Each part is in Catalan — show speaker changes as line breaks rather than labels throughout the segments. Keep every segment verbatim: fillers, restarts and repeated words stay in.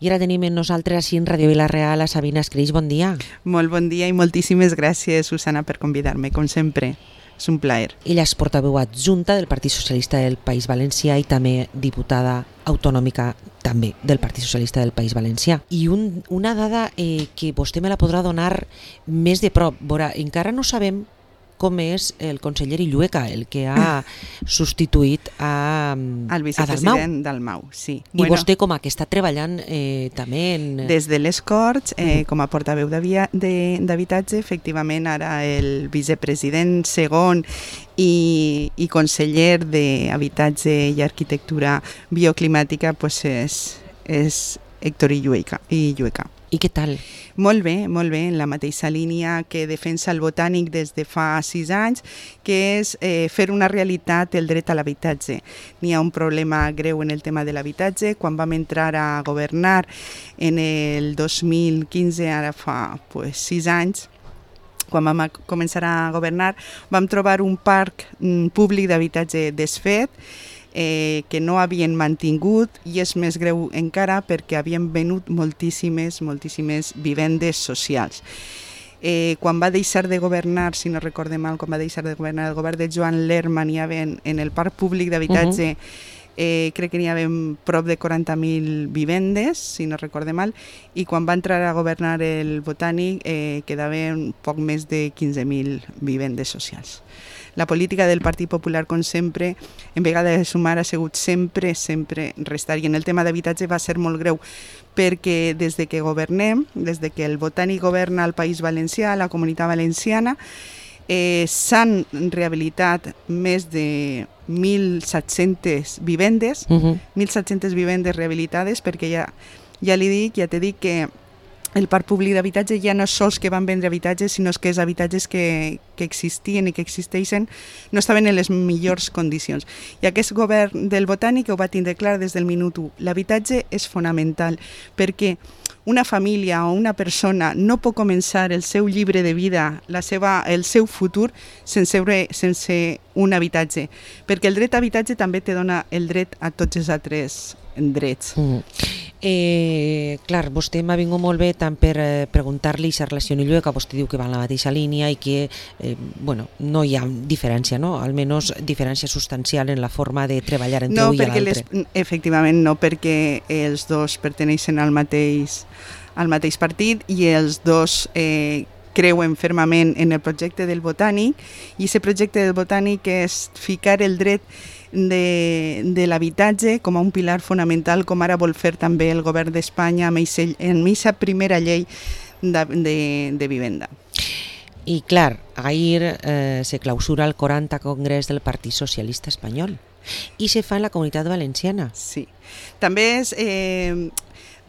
I ara tenim amb nosaltres així en Ràdio Vila-real a Sabina Escreix. Bon dia.
Molt bon dia i moltíssimes gràcies, Susana, per convidar-me, com sempre. És un plaer.
Ella és portaveu adjunta del Partit Socialista del País Valencià i també diputada autonòmica també del Partit Socialista del País Valencià. I un, una dada eh, que vostè me la podrà donar més de prop. Veurà, encara no sabem com és el conseller Illueca, el que ha substituït a,
el vicepresident Dalmau. Sí.
I bueno, vostè com a que està treballant eh, també en...
Des de les Corts, eh, com a portaveu d'habitatge, efectivament ara el vicepresident segon i, i conseller d'Habitatge i Arquitectura Bioclimàtica pues és, és Héctor Illueca. Illueca.
I què tal?
Molt bé, molt bé, en la mateixa línia que defensa el Botànic des de fa sis anys, que és eh, fer una realitat el dret a l'habitatge. N'hi ha un problema greu en el tema de l'habitatge. Quan vam entrar a governar en el dos mil quinze, ara fa pues, sis anys, quan vam començar a governar, vam trobar un parc mm, públic d'habitatge desfet, Eh, que no havien mantingut, i és més greu encara perquè havien venut moltíssimes, moltíssimes vivendes socials. Eh, quan va deixar de governar, si no recorde mal, quan va deixar de governar el govern de Joan Lerma, n'hi havia en, en el parc públic d'habitatge, uh-huh. eh, crec que n'hi havia prop de quaranta mil vivendes, si no recorde mal, i quan va entrar a governar el Botànic eh, quedaven poc més de quinze mil vivendes socials. La política del Partit Popular, com sempre, en vegada de sumar, ha sigut sempre, sempre restar. I en el tema d'habitatge va ser molt greu, perquè des de que governem, des de que el Botànic governa al País Valencià, a la Comunitat Valenciana, eh, s'han rehabilitat més de mil set-centes vivendes, uh-huh. mil set-centes vivendes rehabilitades, perquè ja, ja li dic, ja t'he dit que el parc públic d'habitatge ja no és sols que van vendre habitatges, sinó que els habitatges que, que existien i que existeixen no estaven en les millors condicions. I aquest govern del Botànic ho va tindre clar des del minut u. L'habitatge és fonamental perquè una família o una persona no pot començar el seu llibre de vida, la seva, el seu futur, sense, sense un habitatge. Perquè el dret a habitatge també te dona el dret a tots els altres drets.
Mm. Eh, clar, vostè m'ha vingut molt bé tant per eh, preguntar-li aquesta relació amb Illueca, vostè diu que va en la mateixa línia i que eh, bueno, no hi ha diferència, no? Almenys diferència substancial en la forma de treballar entre
no,
un i l'altre.
Les, efectivament no, perquè els dos perteneixen al mateix, al mateix partit i els dos eh, creuen fermament en el projecte del Botànic, i aquest projecte del Botànic és ficar el dret de, de l'habitatge com a un pilar fonamental, com ara vol fer també el govern d'Espanya amb aquesta primera llei de, de, de vivenda.
I clar, ahir eh, se clausura el quaranta Congrés del Partit Socialista Espanyol i se fa en la Comunitat Valenciana.
Sí, també és eh,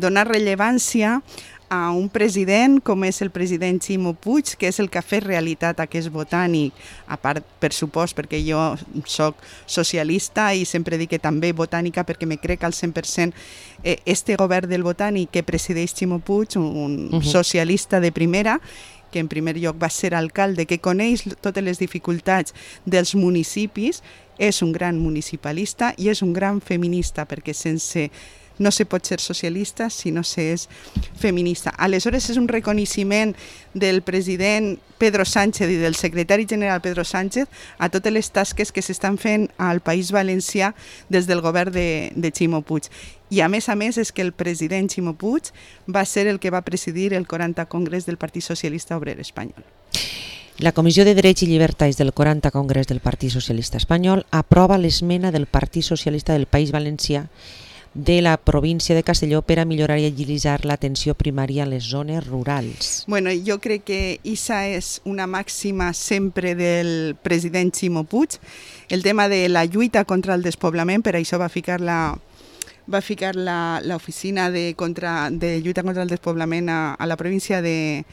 donar rellevància a un president com és el president Ximo Puig, que és el que ha fet realitat aquest Botànic, a part, per supost, perquè jo soc socialista i sempre dic que també botànica perquè me crec al cent per cent eh, este govern del Botànic que presideix Ximo Puig, un uh-huh. socialista de primera, que en primer lloc va ser alcalde, que coneix totes les dificultats dels municipis, és un gran municipalista i és un gran feminista, perquè sense no se pot ser socialista si no s'és feminista. Aleshores és un reconeixement del president Pedro Sánchez i del secretari general Pedro Sánchez a totes les tasques que s'estan fent al País Valencià des del govern de, de Ximo Puig. I a més a més és que el president Ximo Puig va ser el que va presidir el quaranta Congrés del Partit Socialista Obrer Espanyol.
La Comissió de Drets i Llibertats del quaranta Congrés del Partit Socialista Espanyol aprova l'esmena del Partit Socialista del País Valencià de la província de Castelló per a millorar i agilitzar l'atenció primària a les zones rurals.
Bueno, jo crec que aquesta és una màxima sempre del president Ximo Puig, el tema de la lluita contra el despoblament, per això va ficar la va ficar l'oficina de, contra, de lluita contra el despoblament a, a la província de,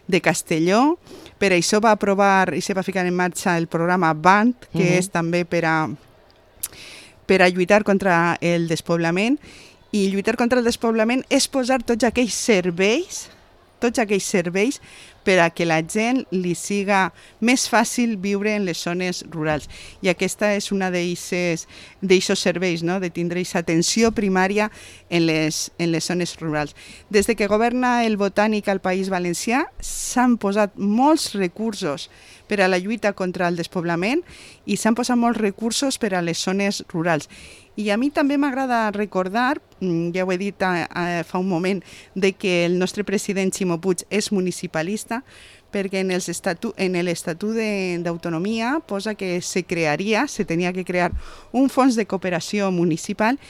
de Castelló, per això va aprovar i se va ficar en marxa el programa B A N T, que uh-huh. és també per a per a lluitar contra el despoblament, i lluitar contra el despoblament és posar tots aquells serveis, tots aquells serveis per a que la gent li siga més fàcil viure en les zones rurals. I aquesta és una d'aquests serveis, no? De tindre aquesta atenció primària en les, en les zones rurals. Des de que governa el Botànic al País Valencià s'han posat molts recursos per a la lluita contra el despoblament i s'han posat molts recursos per a les zones rurals. I a mi també m'agrada recordar, ja ho he dit a, a, fa un moment, de que el nostre president Ximo Puig és municipalista, perquè en l'Estatut d'Autonomia posa que se crearia, se tenia que crear un fons de cooperació municipal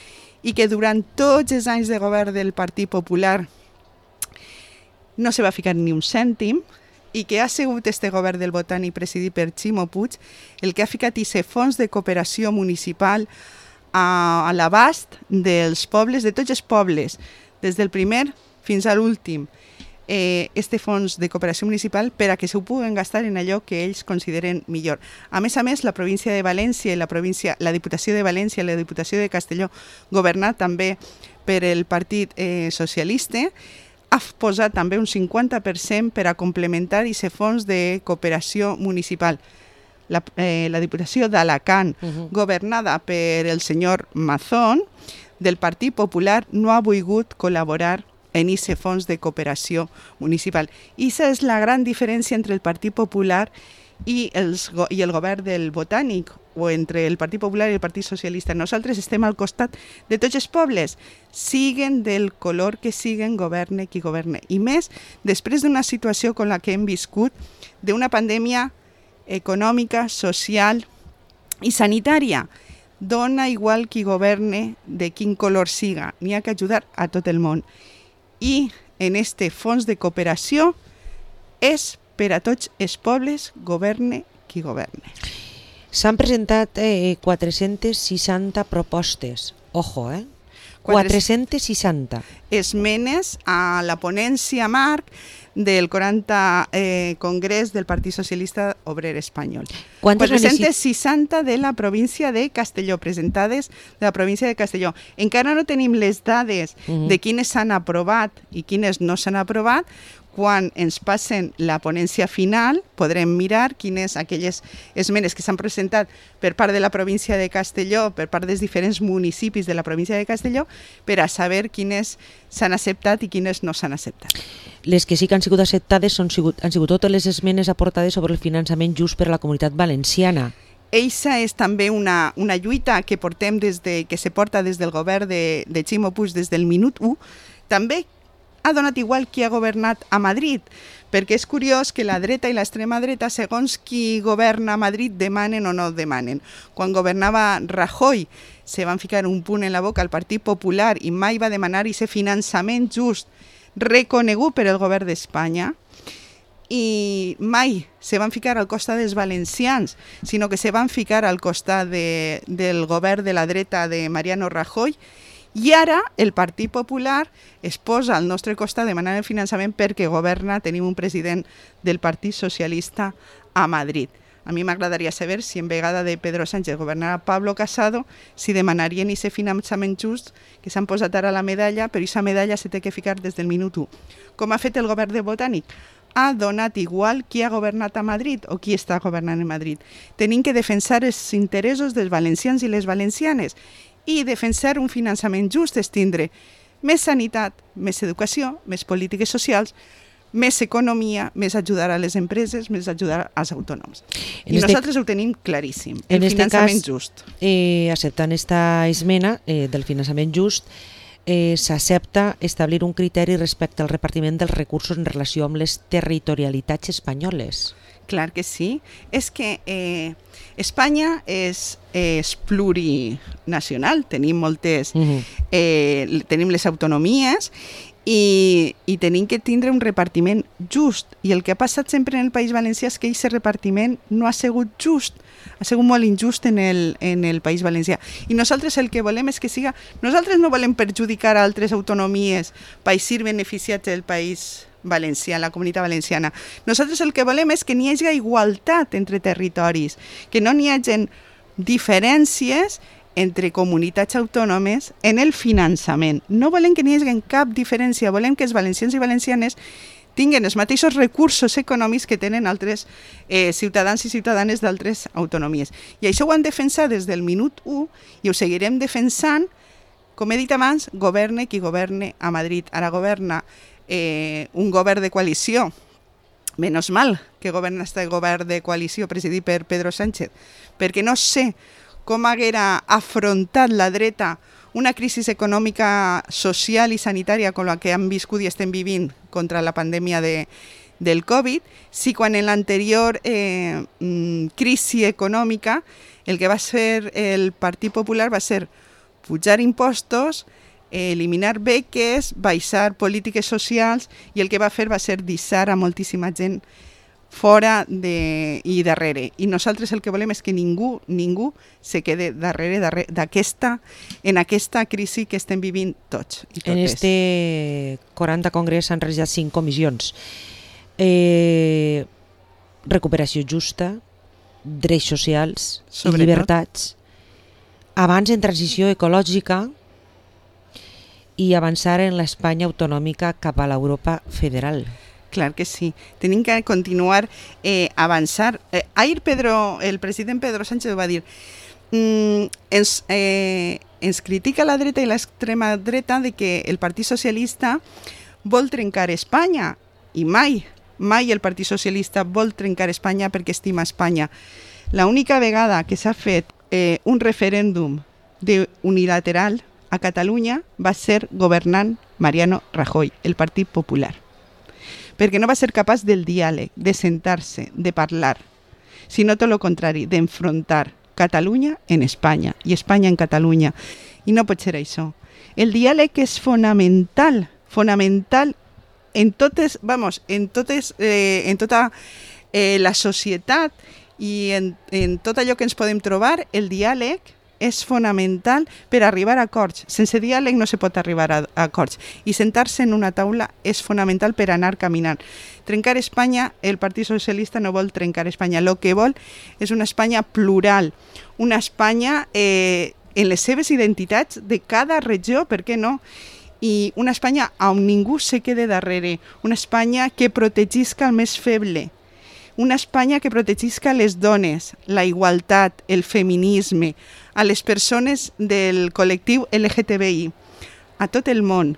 i que durant tots els anys de govern del Partit Popular no se va ficar ni un cèntim, i que ha sigut este govern del Botànic presidit per Ximo Puig el que ha ficat aquest fons de cooperació municipal a, a l'abast dels pobles, de tots els pobles, des del primer fins a l'últim, eh, este fons de cooperació municipal per a que s'ho puguen gastar en allò que ells consideren millor. A més a més, la província de València i la, província, la Diputació de València i la Diputació de Castelló, governat també per el Partit eh, Socialista, ha posat també un cinquanta per cent per a complementar aquest fons de cooperació municipal. La, eh, la Diputació d'Alacant, uh-huh. governada per el senyor Mazón, del Partit Popular, no ha volgut col·laborar en aquest fons de cooperació municipal. I aquesta és la gran diferència entre el Partit Popular i, els, i el govern del Botànic, o entre el Partit Popular i el Partit Socialista. Nosaltres estem al costat de tots els pobles, siguen del color que siguen, governe qui governe. I més, després d'una situació com la que hem viscut, d'una pandèmia econòmica, social i sanitària, dona igual qui governe, de quin color siga, n'hi ha que ajudar a tot el món. I en este fons de cooperació és per a tots els pobles, governe qui governe.
S'han presentat eh, quatre-centes seixanta propostes. Ojo, eh? quatre-centes seixanta.
Esmenes a la ponència marc del quaranta eh, Congrés del Partit Socialista Obrer Espanyol. quatre-centes seixanta de la província de Castelló, presentades de la província de Castelló. Encara no tenim les dades uh-huh. de quines s'han aprovat i quines no s'han aprovat. Quan ens passen la ponència final, podrem mirar quines aquelles esmenes que s'han presentat per part de la província de Castelló, per part dels diferents municipis de la província de Castelló, per a saber quines s'han acceptat i quines no s'han acceptat.
Les que sí que han sigut acceptades són, han sigut totes les esmenes aportades sobre el finançament just per a la comunitat valenciana.
Eixa és també una, una lluita que portem des de, que se porta des del govern de, de Ximo Puig des del minut u, també ha donat igual qui ha governat a Madrid, perquè és curiós que la dreta i l'extrema dreta, segons qui governa a Madrid, demanen o no demanen. Quan governava Rajoy, se van ficar un punt en la boca al Partit Popular i mai va demanar aquest finançament just reconegut per el govern d'Espanya, i mai se van ficar al costat dels valencians, sinó que se van ficar al costat de, del govern de la dreta de Mariano Rajoy. I ara el Partit Popular es posa al nostre costat demanant el finançament perquè governa, tenim un president del Partit Socialista a Madrid. A mi m'agradaria saber si en vegada de Pedro Sánchez governarà Pablo Casado, si demanarien aquest finançament just que s'han posat ara a la medalla, però aquesta medalla se té que ficar des del minut u. Com ha fet el govern de Botànic? Ha donat igual qui ha governat a Madrid o qui està governant a Madrid. Tenim que defensar els interessos dels valencians i les valencianes. I defensar un finançament just és tindre més sanitat, més educació, més polítiques socials, més economia, més ajudar a les empreses, més ajudar als autònoms. I este, nosaltres ho tenim claríssim, el finançament cas, just.
Eh, acceptant esta esmena eh, del finançament just, eh, s'accepta establir un criteri respecte al repartiment dels recursos en relació amb les territorialitats espanyoles.
Clar que sí. És que eh, Espanya és, és plurinacional, tenim moltes, uh-huh. eh, tenim les autonomies i, i tenim que tindre un repartiment just. I el que ha passat sempre en el País Valencià és que aquest repartiment no ha sigut just, ha sigut molt injust en el, en el País Valencià. I nosaltres el que volem és que siga... Nosaltres no volem perjudicar a altres autonomies per ser beneficiats del País Valencià, la comunitat valenciana. Nosaltres el que volem és que n'hi hagi igualtat entre territoris, que no n'hi hagi diferències entre comunitats autònomes en el finançament. No volem que n'hi hagi cap diferència, volem que els valencians i valencianes tinguen els mateixos recursos econòmics que tenen altres eh, ciutadans i ciutadanes d'altres autonomies. I això ho han defensat des del minut u i ho seguirem defensant. Com he dit abans, governe qui governe a Madrid. Ara governa eh, un govern de coalició. Menos mal que governa este govern de coalició presidit per Pedro Sánchez, perquè no sé com haguera afrontat la dreta una crisi econòmica, social i sanitària com la que han viscut i estem vivint contra la pandèmia de, del Covid, si quan en l'anterior eh, crisi econòmica el que va fer el Partit Popular va ser pujar impostos, eliminar beques, baixar polítiques socials, i el que va fer va ser deixar a moltíssima gent fora de, i darrere. I nosaltres el que volem és que ningú, ningú se quede darrere, darrere d'aquesta, en aquesta crisi que estem vivint tots i totes.
En este quaranta congrés s'han realitzat cinc comissions. Eh, recuperació justa, drets socials i llibertats, abans en transició ecològica i avançar en l'Espanya autonòmica cap a l'Europa federal.
Clar que sí. Tenim que continuar eh, avançar. Eh, ahir Pedro, el president Pedro Sánchez va dir mm, ens, eh, ens critica la dreta i l'extrema dreta de que el Partit Socialista vol trencar Espanya, i mai, mai el Partit Socialista vol trencar Espanya perquè estima Espanya. L'única vegada que s'ha fet eh, un referèndum de unilateral a Catalunya va ser governant Mariano Rajoy, el Partit Popular. Perquè no va ser capaç del diàleg, de sentar-se, de parlar, sinó tot el contrari, d'enfrontar Catalunya en Espanya i Espanya en Catalunya. I no pot ser això. El diàleg és fonamental, fonamental en totes, vamos, en totes, eh, en tota eh, la societat i en, en tot allò que ens podem trobar, el diàleg és fonamental per arribar a acords. Sense diàleg no se pot arribar a, a acords. I sentar-se en una taula és fonamental per anar caminant. Trencar Espanya, el Partit Socialista no vol trencar Espanya. El que vol és una Espanya plural, una Espanya eh, en les seves identitats de cada regió, per què no? I una Espanya on ningú se quede darrere, una Espanya que protegisca el més feble, una Espanya que protegisca les dones, la igualtat, el feminisme, a les persones del col·lectiu L G T B I, a tot el món,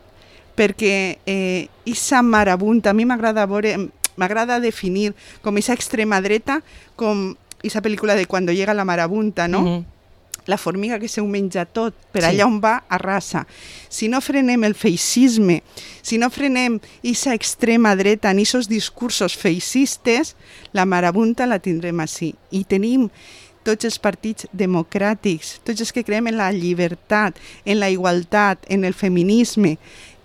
perquè eh, esa marabunta, a mi m'agrada veure, m'agrada definir com esa extrema dreta, com esa pel·lícula de Cuando llega la marabunta, no? Mm-hmm. La formiga que se ho menja tot, per sí. Allà on va arrasa. Si no frenem el feixisme, si no frenem esa extrema dreta en esos discursos feixistes, la marabunta la tindrem així. I tenim tots els partits democràtics, tots els que creiem en la llibertat, en la igualtat, en el feminisme.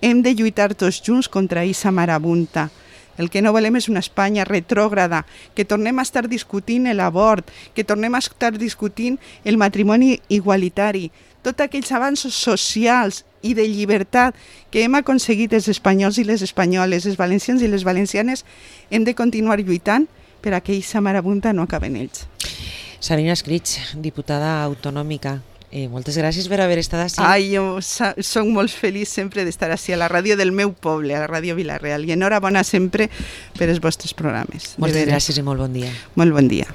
Hem de lluitar tots junts contra aquesta marabunta. El que no volem és una Espanya retrògrada, que tornem a estar discutint l'abort, que tornem a estar discutint el matrimoni igualitari, tots aquells avanços socials i de llibertat que hem aconseguit els espanyols i les espanyoles, els valencians i les valencianes, hem de continuar lluitant per a que aquesta marabunta no acabi en ells.
Sabina Escrig, diputada autonòmica, eh, moltes gràcies per haver estat així.
Ai, jo soc molt feliç sempre d'estar així a la ràdio del meu poble, a la ràdio Vila-real, i enhorabona sempre per els vostres programes.
Moltes gràcies i molt bon dia.
Molt bon dia.